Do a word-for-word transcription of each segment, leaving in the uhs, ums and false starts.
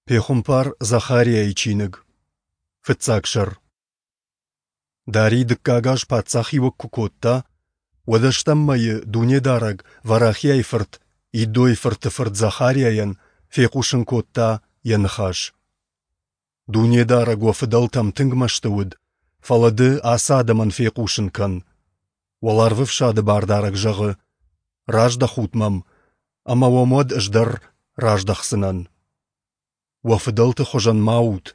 Пехуымпар Захариайы чиныг, фыццаг сӕр. Дарий дыккаг аз паддзахиуӕг куы кодта, уӕд ӕстӕм мӕйы Дунедарӕг Варахиайы фырт Иддойы фырты фырт Захариайӕн фехъусын кодта йӕ ныхас. Дунедарӕг уӕ фыдӕлтӕм тынг мӕсты уыд, фӕлӕ ды ацы адӕмӕн фехъусын кӕн: Уӕларвӕфсады Бардарӕг зӕгъы: Раздӕхут мӕм, ӕмӕ уӕм уӕд ӕз дӕр раздӕхдзынӕн. Уӕ фыдӕлты хуызӕн ма ут.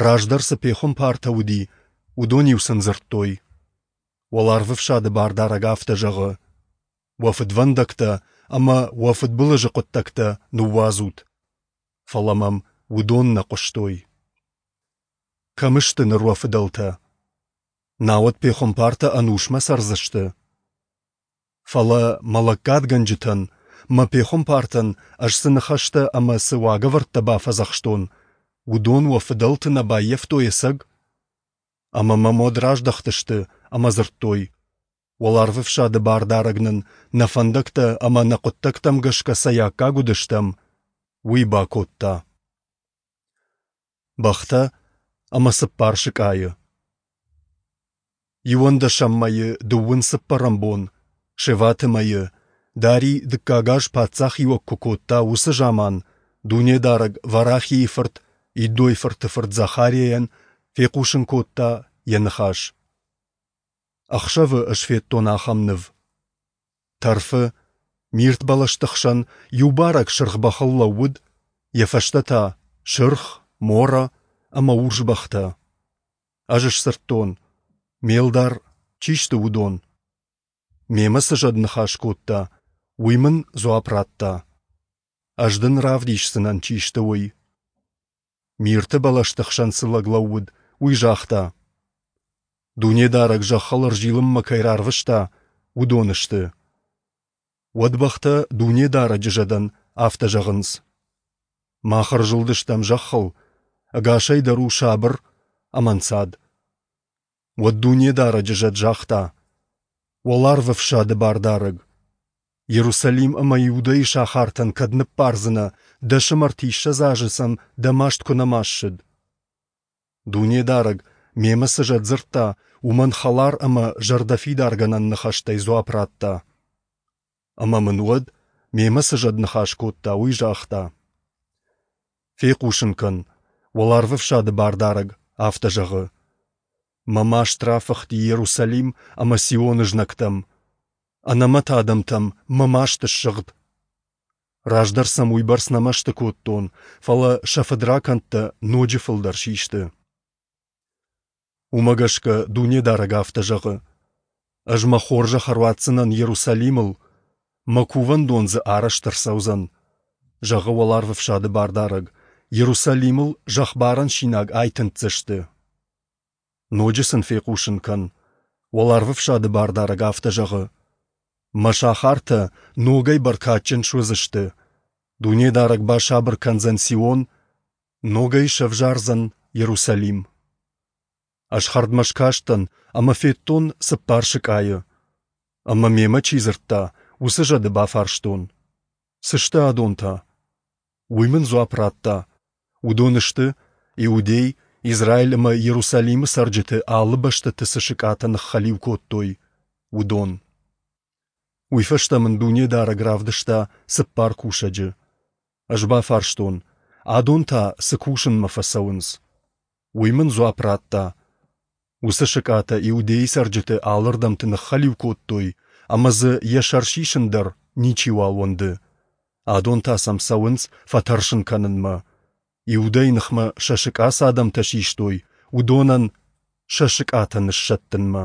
Раздӕр цы пехуымпартӕ уыди, уыдон-иу сын дзырдтой. Уӕларвӕфсады Бардарӕг афтӕ зӕгъы: Уӕ фыдвӕндӕгтӕ ӕмӕ уӕ фыдбылызы хъуыддӕгтӕ ныууадзут. Фӕлӕ мӕм уыдон нӕ хъуыстой. Кӕм сты ныр уӕ фыдӕлтӕ? Науӕд пехуымпартӕ ӕнусмӕ цӕрдзысты? Фӕлӕ мӕ лӕггадгӕнджытӕн, мӕ пехуымпартӕн ӕз цы ныхӕстӕ ӕмӕ цы уагӕвӕрдтӕ бафӕдзӕхстон, уыдон уӕ фыдӕлты нӕ баййӕфтой ӕцӕг? Ӕмӕ мӕм уӕд раздӕхтысты ӕмӕ дзырдтой: Уӕларвӕфсады Бардарӕг нын нӕ фӕндӕгтӕ ӕмӕ нӕ хъуыддӕгтӕм гӕсгӕ цӕй аккаг уыдыстӕм, уый бакодта. Бӕхтӕ ӕмӕ цыппар сыкъайы. Иуӕндӕсӕм мӕйы дыууын цыппӕрӕм бон, Шеваты мӕйы, Дарий дыккаг аз паддзахиуӕг куы кодта, уыцы заман Дунедарӕг Варахийы фырт Иддойы фырты фырт Захариайӕн фехъусын кодта йӕ ныхас. Ӕхсӕвы ӕз федтон ахӕм ныв. Тӕрфы, мирт бӕлӕсты хсӕн, иу барӕг сырх бӕхыл лӕууыд, йӕ фӕстӕ та сырх, мора ӕмӕ урс бӕхтӕ. Ӕз сдзырдтон: «Ме лдар, чи сты уыдон?» Мемӕ цы зӕд ныхас кодта, уый мын дзуапп радта: «Ӕз дын равдисдзынӕн, чи сты, уый». Мирты бӕлӕсты хсӕн цы лӕг лӕууыд, уый загъта: «Дунедарӕг зӕххыл ӕрзилынмӕ кӕй рарвыста, уыдон сты». Уӕд бӕхтӕ Дунедарӕджы зӕдӕн афтӕ зӕгъынц: «Мах ӕрзылдыстӕм зӕххыл, ӕгасӕй дӕр у сабыр ӕмӕ ӕнцад». Уӕд Дунедарӕджы зӕд загъта: «Уӕларвӕфсады Бардарӕг, Иерусалим ӕмӕ Иудӕйы сахартӕн кӕд ныббардзынӕ, дӕс ӕмӕ ӕртиссӕдз азы сӕм дӕ маст куы нӕма ссыд?» Дунедарӕг, мемӕ цы зӕд дзырдта, уымӕн хӕлар ӕмӕ зӕрдӕфидаргӕнӕн ныхӕстӕй дзуапп радта. Ӕмӕ мын уӕд, мемӕ цы зӕд ныхас кодта, уый загъта: «Фехъусын кӕн, Уӕларвӕфсады Бардарӕг афтӕ зӕгъы: Мӕ маст рафыхти Иерусалим ӕмӕ Сионы знӕгтӕм, ӕнӕмӕт адӕмтӕм мӕ маст ссыгъд. Раздӕр сӕм уыйбӕрц нӕ мӕсты кодтон, фӕлӕ сӕ фыдракӕндтӕ ноджы фылдӕр систы. Уымӕ гӕсгӕ Дунедарӕг афтӕ зӕгъы: Ӕз мӕ хорзӕх ӕруадздзынӕн Иерусалимыл, мӕ кувӕндон дзы арӕзт ӕрцӕудзӕн, зӕгъы Уӕларвӕфсады Бардарӕг, Иерусалимыл зӕхбарӕн синаг айтындздзысты. Ноджы сын фехъусын кӕн, Уӕларвӕфсады Бардарӕг афтӕ зӕгъы: Мӕ сахартӕ ногӕй бӕркадджын суыдзысты, Дунедарӕг басабыр кӕндзӕн Сион, ногӕй сӕвзардзӕн Иерусалим. Ӕз хӕрдмӕ скастӕн ӕмӕ федтон цыппар сыкъайы. Ӕмӕ мемӕ чи дзырдта, уыцы зӕды бафарстон: Цы сты адон та? Уый мын дзуапп радта: Уыдон сты, Иудей, Израиль ӕмӕ Иерусалимы цӕрджыты алы бӕстӕты цы сыкъатӕ ныххӕлиу кодтой, уыдон. Уый фӕстӕ мын Дунедарӕг равдыста цыппар кусӕджы. Ӕз бафарстон: Адон та цы кусынмӕ фӕцӕуынц? Уый мын дзуапп радта: Уыцы сыкъатӕ Иудейы цӕрджыты алырдӕмты ныххӕлиу кодтой, ӕмӕ дзы йӕ сӕр сисын дӕр ничиуал уӕнды. Адон та сӕм цӕуынц фӕтӕрсын кӕнынмӕ. Иудӕйы ныхмӕ сӕ сыкъа цы адӕмтӕ систой, уыдонӕн сӕ сыкъатӕ ныссӕттынмӕ.